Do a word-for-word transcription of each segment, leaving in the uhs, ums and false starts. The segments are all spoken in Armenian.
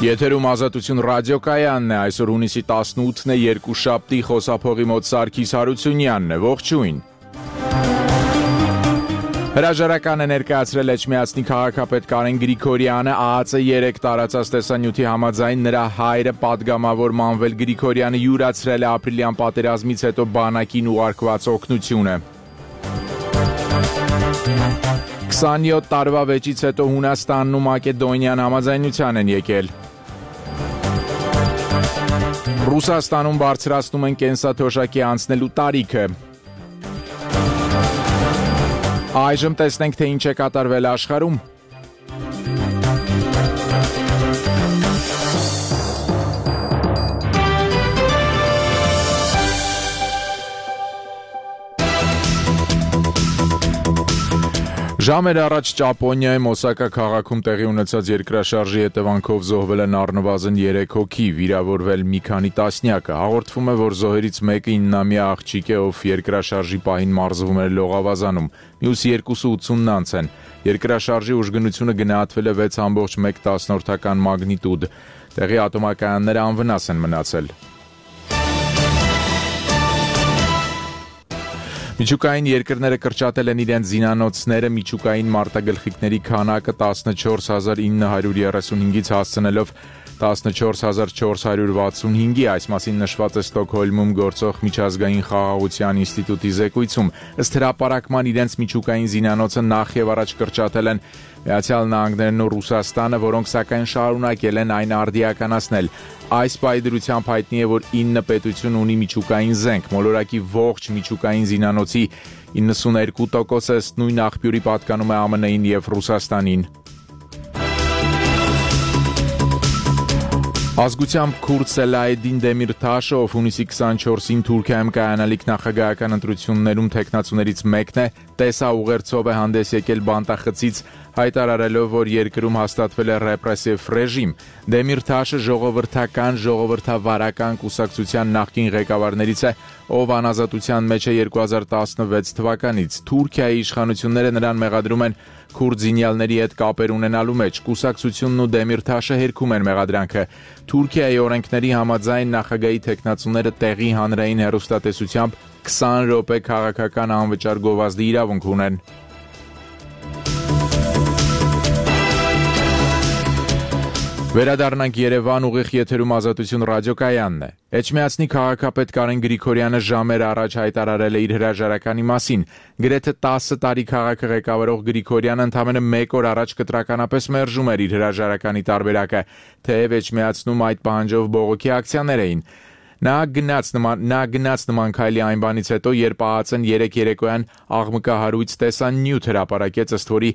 Եթերում Ազատություն ռադիոկայանն է, այսօր հունիսի տասնութն է, երկուշաբթի, խոսափողի մոտ Սարգիս Հարությունյանն է, ողջույն։ Հրաժարականը ներկայացրել Էջմիածնի քաղաքապետ Կարեն Գրիգորյանը, ԱԱԾ երեք տարածած տեսանյութի համաձայն նրա հայրը պատգամավոր Մանվել Գրիգորյանը յուրացրել է ապրիլյան պատերազմից հետո բանակին ուղարկված օգնությունը։ քսանյոթ տարվա վեճից հետո Հունաստանն ու Մակեդոնիան համաձայնության են եկել։ Ռուսաստանում բարձրացնում են կենսաթոշակի անցնելու տարիքը։ Այժմ տեսնենք, թե ինչ է կատարվել աշխարհում։ Ժամեր առաջ Ճապոնիայում Օսակա քաղաքում տեղի ունեցած երկրաշարժի հետևանքով զոհվել են առնվազն երեք հոգի, վիրավորվել մի քանի տասնյակը։ Հաղորդվում է, որ զոհերից մեկը իննամյա աղջիկ է, ով երկրաշարժի պահին մարզվում էր լողավազանում, մյուս երկուսը ութսունն անց են։ Երկրաշարժի ուժգնությունը գնահատվել է վեց ամբողջ մեկ տասնորդական մագնիտուդ։ Տեղի ատոմակայանները անվնաս են մնացել։ Միջուկային երկրները կրճատել են իրենց զինանոցները, միջուկային մարտագլխիկների քանակը տասնչորս հազար ինը հարյուր երեսունհինգից հասցնելով տասնչորս հազար չորս հարյուր վաթսունհինգի, այս մասին նշված է Ստոկհոլմում գործող միջազգային խաղաղության ինստիտուտի զեկույցում։ Ըստ հրապարակման իրենց միջուկային զինանոցը նախ եւ առաջ կրճատել են Միացյալ Նահանգներն ու Ռուսաստանը, որոնք սակայն շարունակել են այն արդիականացնել։ Այս պայդրությամբ հայտնի է, որ ինը պետություն ունի միջուկային զենք, մոլորակի ողջ միջուկային զինանոցի իննսունհինգ տոկոսը ըստ նույն աղբյուրի պատկանում է ԱՄՆ-ին եւ Ռուսաստանին։ Ազգությամբ քուրդ Սելահեդին Դեմիրթաշը, ով հունիսի քսանչորսին Թուրքիայում կայանալիք նախագահական ընտրություններում թեկնածուներից մեկն է, տեսաուղերձով է հանդես եկել բանտախցից, հայտարարելով, որ երկրում հաստատվել է ռեպրեսիվ ռեժիմ։ Դեմիրթաշը ժողովրդական, ժողովրդավարական կուսակցության նախկին ղեկավարներից է, ով անազատության մեջ է երկու հազար տասնվեց թվականից։ Թուրքիայի իշխանությունները նրան մեղադրում են քուրդ զինյալների հետ կապեր ունենալու մեջ։ Կուսակցությունն ու Դեմիրթաշը հերքում են մեղադրանքը։ Թուրքիայի օրենքների համաձայն նախագահի թեկնածուները տեղի հանրային հեռուստատեսությամբ քսան րոպե քաղաքական անվճար գովազդի իրավունք ունեն։ Վերադառնանք Երևան, ուղիղ եթերում Ազատություն ռադիոկայանն է։ Էջմիածնի քաղաքապետ Կարեն Գրիգորյանը ժամեր առաջ հայտարարել է իր հրաժարականի մասին։ Գրեթե տասը տարի քաղաքը ղեկավարող Գրիգորյանը ընդամենը մեկ օր առաջ կտրականապես մերժում էր իր հրաժարականի տարբերակը, թեև Էջմիածնում այդ պահանջով բողոքի ակցիաներ էին։ Նա գնաց նման նա գնաց նման քայլի այն բանից հետո, երբ ԱԱԾ-ն երեք երեկոյան աղմկահարույց տեսանյութ հրապարակեց, ըստ որի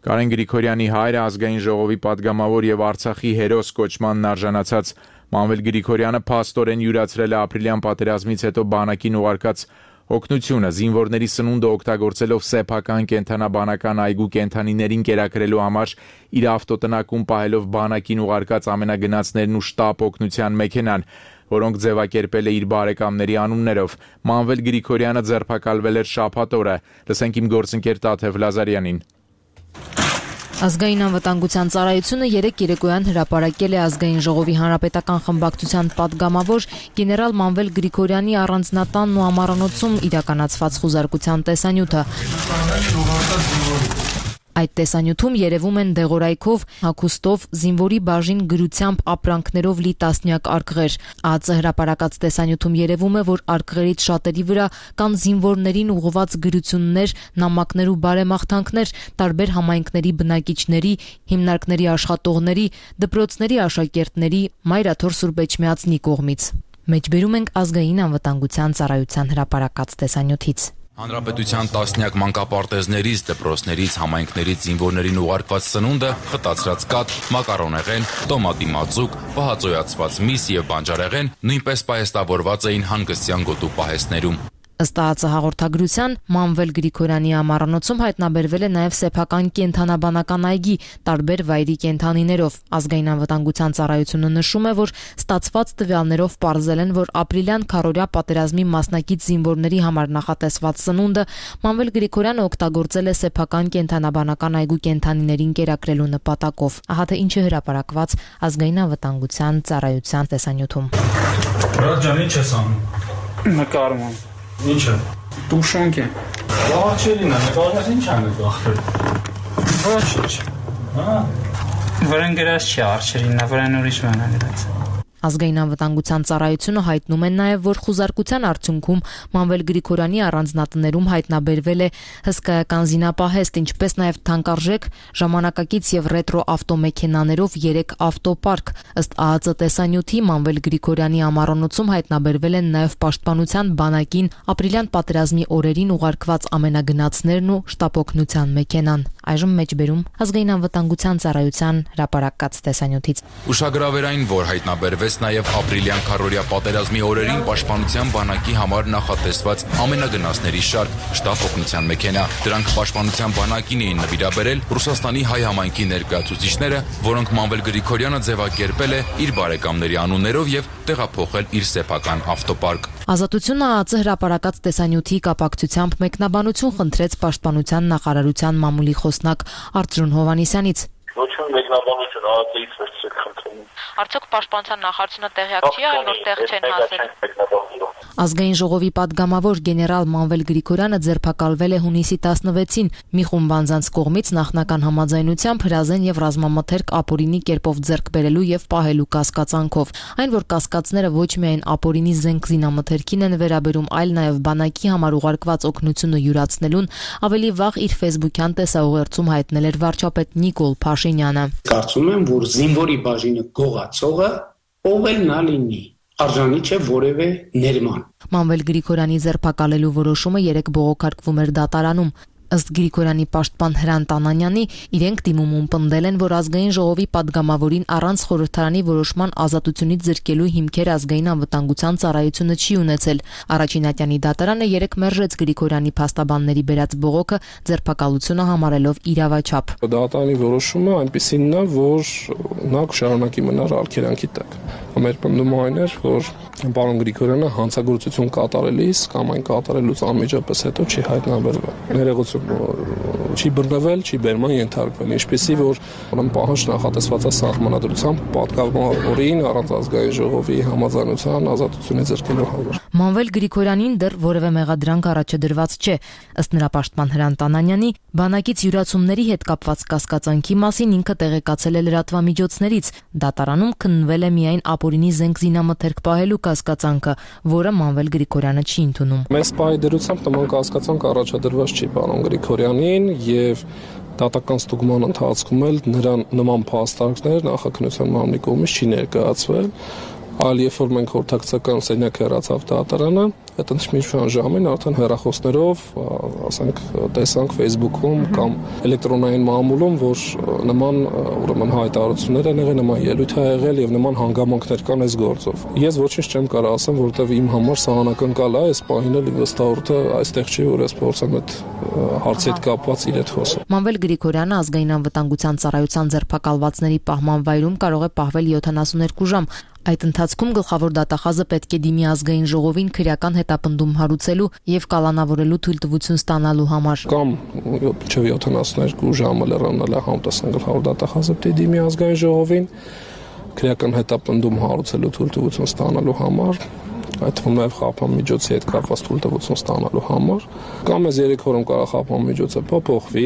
Կարեն Գրիգորյանի հայրը ազգային ժողովի падգամավոր եւ Արցախի հերոս կոչմանն արժանացած Մանվել Գրիգորյանը փաստորեն յուրացրել է ապրիլյան պատերազմից հետո բանակին ուղարկած օգնությունը, զինվորների սնունդը օգտագործելով սեփական կենթանաբանական այգու կենթանիներին կերակրելու համար իր ավտոտնակում պահելով բանակին ուղարկած ամենագնացներն ու շտապ օգնության մեքենան, որոնք ձևակերպել է իր բարեկամների անուններով։ Մանվել Գրիգորյանը ձերբակալվել էր շաբաթ օրը։ Լսենք իմ գործընկեր Տաթև Լազարյանին։ Ազգային անվտանգության ծառայությունը երեք երեկոյան հրապարակել է ազգային ժողովի հանրապետական խմբակցության падգամավոր գեներալ Մանվել Գրիգորյանի առանձնատանն ու ամառանոցում իրականացված խուզարկության տեսանյութը։ Այդ տեսանյութում երևում են դեղորայքով, հագուստով, զինվորի բաժին գրությամբ ապրանքներով լի տասնյակ արկղեր։ ԱԱԾ հրապարակած տեսանյութում երևում է, որ արկղերից շատերի վրա կան զինվորներին ուղղված գրություններ, նամակներ ու բարեմաղթանքներ տարբեր համայնքների բնակիչների, հիմնարկների աշխատողների, դպրոցների աշակերտների, Մայրաթոր Սուրբ Էջմիածնի կողմից։ Մեջբերում ենք ազգային անվտանգության ծառայության հրապարակած տեսանյութից։ Հանրապետության տասնյակ մանկապարտեզներից, դպրոցներից, համայնքներից զինվորներին ուղարկված սնունդը, խտացրած կաթ, մակարոնեղեն, տոմատի մածուկ, պահածոյացված միս եւ բանջարեղեն նույնպես պահեստավորված էին հանգստյան գոտու պահեստներում։ Ըստ ԱԱԾ հաղորդագրության, Մանվել Գրիգորյանի ամառանոցում հայտնաբերվել է նաև սեփական կենդանաբանական այգի տարբեր վայրի կենդանիներով։ Ազգային անվտանգության ծառայությունը նշում է, որ ստացված տվյալներով պարզել են, որ ապրիլյան քառօրյա պատերազմի մասնակից զինվորների համար նախատեսված սնունդը Մանվել Գրիգորյանը օգտագործել է սեփական կենդանաբանական այգու կենդանիներին կերակրելու նպատակով։ Ահա թե ինչ է հրապարակված Ազգային անվտանգության ծառայության տեսանյութում։ Ռաջան, ինչ ես անում։ Նկարում եմ։ Ինչ է։ Տուշանք է։ Աղջերին է, նկարած ինչ անը գախվել։ Ոչինչ։ Հա։ Վրան գրած չի արչերին, վրան ուրիշ մանա գրած։ Ազգային անվտանգության ծառայությունը հայտնում են նաև, որ խուզարկության արդյունքում Մանվել Գրիգորյանի առանձնատներում հայտնաբերվել է հսկայական զինապահեստ, ինչպես նաև թանկարժեք ժամանակակից եւ ռետրո ավտոմեքենաներով երեք ավտոպարկ։ Ըստ ԱԱԾ տեսանյութի Մանվել Գրիգորյանի ամառանոցում հայտնաբերվել են նաև պաշտպանության բանակին ապրիլյան պատերազմի օրերին ուղարկված ամենագնացներն ու շտապօգնության մեքենան։ Այժմ մեջբերում Ազգային անվտանգության ծառայության հրապարակած տեսանյութից։ Ուշագրավերային, որ հայտնաբերվեց նաև ապրիլյան քառօրյա պատերազմի օրերին պաշտպանության բանակի համար նախատեսված ամենագնացների շարք շտապ օգնության մեքենա։ Դրանք պաշտպանության բանակին էին նվիրաբերել Ռուսաստանի հայ համայնքի ներկայացուցիչները, որոնք Մանվել Գրիգորյանը ձևակերպել է իր բարեկամների անուններով եւ տեղափոխել իր սեփական ավտոպարկ։ Ազատությունը ԱԱԾ հրապարակած տեսանյութի կապակցությամբ մեկնաբանություն խնդրեց Պաշտպանության նախարարության մամուլի խոսնակ Արծրուն Հովհաննիսյանից։ Ոչ մի մեկնաբանություն ԱԱԾ-ից վերցրեք խնդրում։ Արդյոք Պաշտպանության նախարարությունը տեղյակ չի եղել, որ տեղ չեն հասել։ Ազգային ժողովի падգամավոր գեներալ Մանվել Գրիգորյանը ձերբակալվել է հունիսի տասնվեցին մի խումբ անձանց կողմից նախնական համաձայնությամբ հրազեն եւ ռազմամթերք ապօրինի կերպով ձեռք բերելու եւ պահելու կասկածանքով։ Այն, որ կասկածները ոչ միայն ապօրինի զենք զինամթերքին են վերաբերում, այլ նաեւ բանակի համար ուղարկված օգնությունը յուրացնելուն, ավելի վաղ իր ֆեյսբուքյան տեսաուղերձում հայտնել էր վարչապետ Նիկոլ Փաշինյանը։ Կարծում եմ, որ զինվորի բաժինը գողացողը ով էլ նա լինի, արժանի չէ որևէ ներման։ Մանվել Գրիգորյանի ձերբակալելու որոշումը երեք բողոքարկվում էր դատարանում։ Ըստ Գրիգորյանի պաշտպան Հրանտ Անանյանի, իրենք դիմումում պնդել են, որ ազգային ժողովի падգամավորին առանց խորհրդարանի որոշման ազատությունից զրկելու հիմքեր ազգային անվտանգության ծառայությունը չի ունեցել։ Առաջին ատյանի դատարանը երեք մերժեց Գրիգորյանի փաստաբանների բերած բողոքը ձերբակալությունը համարելով իրավաչափ։ Դատարանի որոշումը այնպեսին է, որ նա կշարունակի մնալ արգելանքի տակ։ Մեր պնդումը այն էր, որ պարոն Գրիգորյանը հանցագործություն կատարելիս կամ այն կատարելուց անմիջապես հետո չի հայտնաբերվել։ Ներողություն չի բռնվել, չի բերման ենթարկվել, ինչպեսի որ ուրեմն պահանջ նախատեսված է սահմանադրությամբ պատգամավորին առանց ազգային ժողովի համաձայնության ազատությունից զրկելու համար։ Մանվել Գրիգորյանին դեռ որևէ մեղադրանք առաջադրված չէ։ Ըստ նրա պաշտպան Հրանտ Անանյանի, բանակից յուրացումների հետ կապված կասկածանքի մասին ինքը տեղեկացել է լրատվամիջոցներից։ Դատարանում քննվել է միայն ապօրինի զենք զինամթերք պահելու կասկածանքը, որը Մանվել Գրիգորյանը չի ընդունում։ Մեծ պահի դերությամբ նման կասկածանք առաջադրված չի պարոն Գրիգորյանին եւ դատական ստուգման ընթացքում էլ նրան նման փաստարկներ նախաքննության մամուլի կողմից չի ներկայացվել, այլ երբ որ մենք հորդակցական սենյակ հեռացավ դատարանը, այդ ընդմիջման ժամին արդեն հեռախոսներով, ասենք, տեսանք Facebook-ում կամ էլեկտրոնային մամուլում, որ նման ուրեմն հայտարարություններ են եղել, նման ելույթ է եղել եւ նման հանգամանքներ կան այս գործով։ Ես ոչինչ չեմ կարող ասեմ, որովհետեւ իմ համար սահանակնկալ է այս պահին էլ վստահորդը այստեղ չի, որ ես փորձեմ այդ հարցի հետ կապված իր հետ խոսել։ Մանվել Գրիգորյանը ազգային անվտանգության ծառայության ձերբակալվածների պահման վայրում կարող է պահվել յոթանասունյոթ ժամ։ Այդ ընթացքում գլխավոր դատախազը պետք է դիմի ազգային ժողովին քրեական հետապնդում հարուցելու եւ կալանավորելու թույլտվություն ստանալու համար։ Կամ մինչեւ յոթանասունյոթ ժամը լրանալ է համտեսան գլխավոր դատախազը պետք է դիմի ազգային ժողովին քրեական հետապնդում հարուցելու թույլտվություն ստանալու համար, այդ թվում նաեւ խափան միջոցի հետ կապված թույլտվություն ստանալու համար, կամ այս երեք օրում կարող խափան միջոցը փոփոխվի,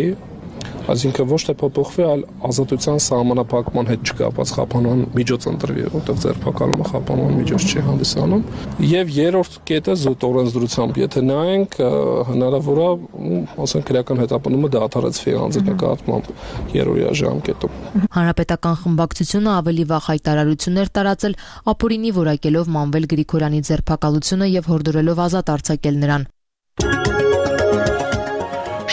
այսինքն ոչ թե փոփոխվի, այլ ազատության սահմանափակման հետ չկապված խափանման միջոց ընտրվի, որտեղ ձերբակալումը խափանման միջոց չի հանդիսանում։ Եվ երրորդ կետը զուտ օրենսդրությամբ, եթե նայենք, հնարավոր է, ասենք, քրեական հետապնդումը դադարեցվի անձի նկատմամբ երրորդյա ժամկետում։ Հանրապետական խմբակցությունը ավելի վաղ հայտարարություններ տարածել ապօրինի որակելով Մանվել Գրիգորյանի ձերբակալությունը եւ հորդորելով ազատ արձակել նրան։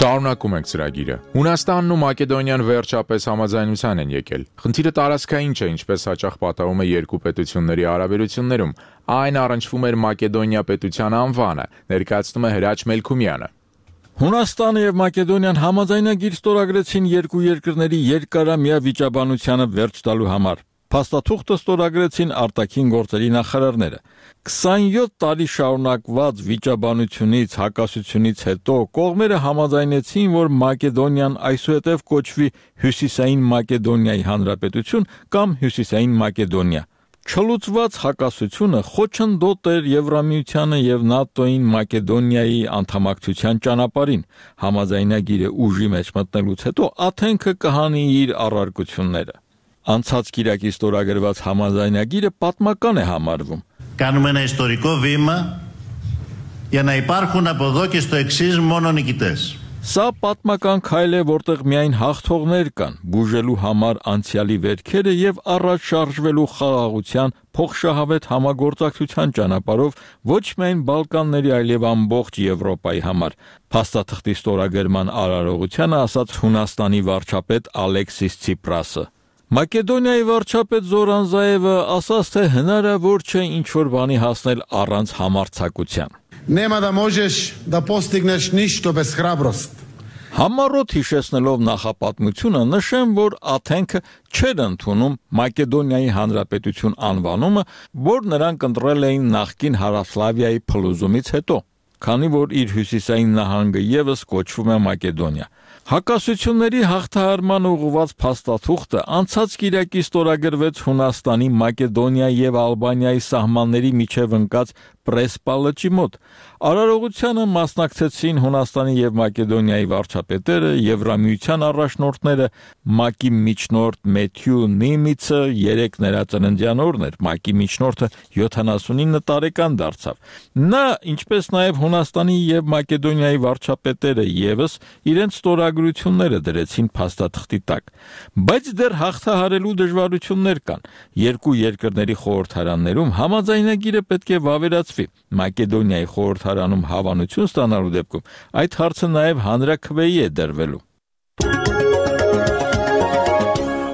Շարունակում ենք ծրագիրը։ Հունաստանն ու Մակեդոնիան վերջապես համաձայնության են եկել։ Խնդիրը տարածքային չէ, ինչպես հաճախ պատահում է երկու պետությունների հարաբերություններում, Այն առնչվում էր Մակեդոնիա պետության անվանը, ներկայացնում է Հրաչ Մելքումյանը։ Հունաստանը եւ Մակեդոնիան համաձայնագիր ստորագրեցին երկու երկրների երկարամյա վիճաբանությանը վերջ տալու համար։ Փաստաթուղթը ստորագրեցին արտաքին գործերի նախարարները։ քսանյոթ տարի շարունակված վիճաբանությունից, հակասությունից հետո կողմերը համաձայնեցին, որ Մակեդոնիան այսուհետև կոչվի Հյուսիսային Մակեդոնիայի Հանրապետություն կամ Հյուսիսային Մակեդոնիա։ Չլուծված հակասությունը խոչընդոտ էր Եվրամիությանը եւ ՆԱՏՕ-ին Մակեդոնիայի անդամակցության ճանապարհին։ Համաձայնագիրը ուժի մեջ մտնելուց հետո Աթենքը կհանի իր առարկությունները։ Անցած կիրակի ստորագրված համաձայնագիրը պատմական է համարվում։ Κάνουμε ένα ιστορικό βήμα για να υπάρχουν από εδώ και στο εξής μόνο νικητές. Սա պատմական քայլ է, որտեղ միայն հաղթողներ կան, բուժելու համար անցյալի վերքերը եւ առաջ շարժվելու խաղաղության փոխշահավետ համագործակցության ճանապարհով ոչ միայն Բալկանների, այլև ամբողջ Եվրոպայի համար։ Փաստաթղթի ստորագրման արարողությանը ասաց Հունաստանի վարչապետ Ալեքսիս Ցիպրասը։ Մակեդոնիայի վարչապետ Զորան Զաևը ասաց, թե հնարավոր չէ ինչ-որ բանի հասնել առանց համարձակության։ Нема да можеш да постигнеш ништо без храброст. Համառոտ հիշեցնելով նախապատմությունը նշեմ, որ Աթենքը չէր ընդունում Մակեդոնիայի Հանրապետություն անվանումը, որ նրանք ընտրել էին նախկին Հարավսլավիայի փլուզումից հետո, քանի որ իր հյուսիսային նահանգը եւս կոչվում է Մակեդոնիա։ Հակասությունների հաղթահարման ուղղված փաստաթուղթը անցած կիրակի ստորագրվեց Հունաստանի, Մակեդոնիա եւ Ալբանիայի սահմանների միջև ընկած Պրեսպա լճի մոտ։ Արարողությանը մասնակցեցին Հունաստանի եւ Մակեդոնիայի վարչապետերը, Եվրամիության առաջնորդները, ՄԱԿ-ի միջնորդ Մեթյու Նիմիցը երեք ներածննդյան օրն էր, ՄԱԿ-ի միջնորդը յոթանասունինը տարեկան դարձավ։ Նա, ինչպես նաեւ Հունաստանի եւ Մակեդոնիայի վարչապետերը եւս իրենց ստորագրությունները դրեցին փաստաթղթի տակ։ Բայց դեռ հաղթահարելու դժվարություններ կան։ Երկու երկրների խորհրդարաններում համաձայնագիրը պետք է վավերացվի։ Մակեդոնիայի խորհրդարանում հավանություն ստանալու դեպքում այդ հարցը նաև հանրաքվեի է դրվելու։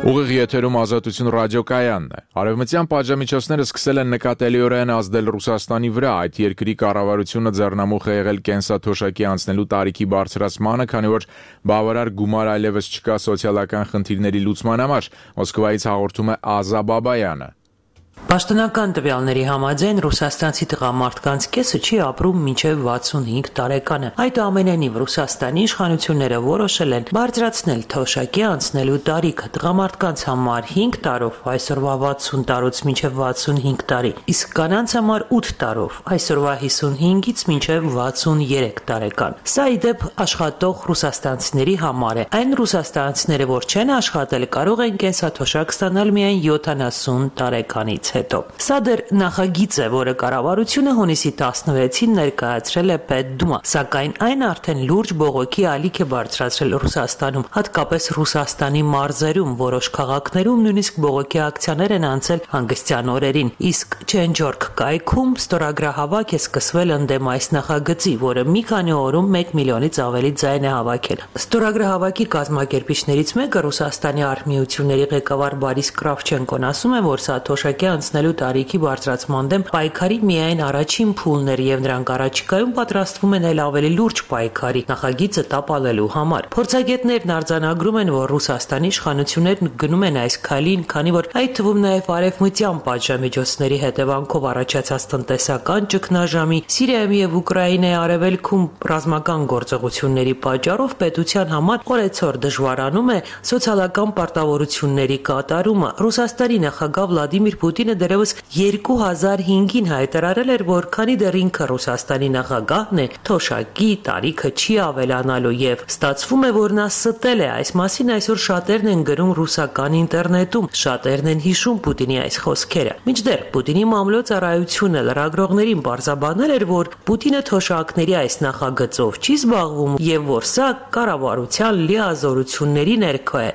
Ուղիղ եթերում Ազատություն ռադիոկայանն է։ Արևմտյան պատժամիջոցները սկսել են նկատելիորեն ազդել Ռուսաստանի վրա։ Այդ երկրի կառավարությունը ձեռնամուխ է եղել կենսաթոշակի անցնելու տարիքի բարձրացմանը, քանի որ բավարար գումար այլևս չկա սոցիալական խնդիրների լուծման համար։ Մոսկվայից հաղորդում է Ազա Բաբայանը։ Պաշտոնական տվյալների համաձայն ռուսաստանցի տղամարդկանց կեսը չի ապրում մինչև վաթսունհինգ տարեկանը։ Այդուամենայնիվ Ռուսաստանի իշխանությունները որոշել են բարձրացնել թոշակի անցնելու տարիքը տղամարդկանց համար հինգ տարով, այսօրվա վաթսուն տարուց մինչև վաթսունհինգ տարի, իսկ կանանց համար ութ տարով, այսօրվա հիսունհինգից մինչև վաթսուներեք տարեկան։ Սա ի դեպ աշխատող ռուսաստանցիների համար է։ Այն ռուսաստանցիները, որ չեն աշխատել, կարող են կենսաթոշակ ստանալ միայն յոթանասուն տարեկանից հետո։ Սա դեռ նախագիծ է, որը կառավարությունը հունիսի տասնվեցին ներկայացրել է Պետդումա, սակայն այն արդեն լուրջ բողոքի ալիք է բարձրացրել Ռուսաստանում, հատկապես Ռուսաստանի մարզերում, որոշ քաղաքներում նույնիսկ բողոքի ակցիաներ են անցել հանգստյան օրերին, իսկ Չենջորք կայքում ստորագրահավաք է սկսվել ընդդեմ այս նախագծի, որը մի քանի օրում մեկ միլիոնից ավելի ձայն է հավաքել։ Ստորագրահավաքի կազմակերպիչներից մեկը Ռուսաստանի արհմիությունների ղեկավար Բարիս Կրավչենկոն ասում է, որ սա թոշակի անցնելու տարիքի բարձրացման դեմ պայքարի միայն առաջին փուլն էր եւ նրանք առաջիկայում պատրաստվում են էլ ավելի լուրջ պայքարի նախագիծը տապալելու համար։ Փորձագետներն արձանագրում են, որ Ռուսաստանի իշխանություններն գնում են այս քայլին, քանի որ այդ թվում նաեւ արևմտյան պատժամիջոցների հետևանքով առաջացած տնտեսական ճգնաժամի, Սիրիայում եւ Ուկրաինայի արևելքում ռազմական գործողությունների պատճառով պետության համար օրեցօր դժվարանում է սոցիալական պարտավորությունների կատարումը։ Ռուսաստանի նախագահ Վլադիմիր Պուտինը դեռևս երկու հազար հինգին հայտարարել էր, որ քանի դեռ ինքը Ռուսաստանի նախագահն է, թոշակի տարիքը չի ավելանալու եւ ստացվում է, որ նա ստել է։ Այս մասին այսօր շատերն են գրում ռուսական ինտերնետում, շատերն են հիշում Պուտինի այս խոսքերը։ Մինչդեռ Պուտինի մամլոյցարայությունը լրագրողներին պարզաբանել էր, որ Պուտինը թոշակների այս նախագծով չի զբաղվում եւ որ սա կառավարության լիազորությունների ներքո է։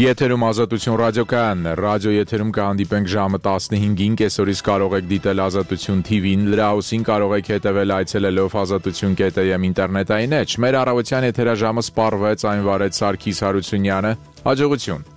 Եթերում Ազատություն ռադիոկայանն է, ռադիո եթերում կհանդիպենք ժամը տասնհինգին, կեսօրից կարող եք դիտել Ազատություն թի վին, լրահոսին կարող եք հետևել այցելելով ազատություն կետ էմ ինտերնետային էջ, մեր առավոտյան եթերաժամը սպառվեց, այն վարեց Սարգիս Հարությունյանը, հաջողություն։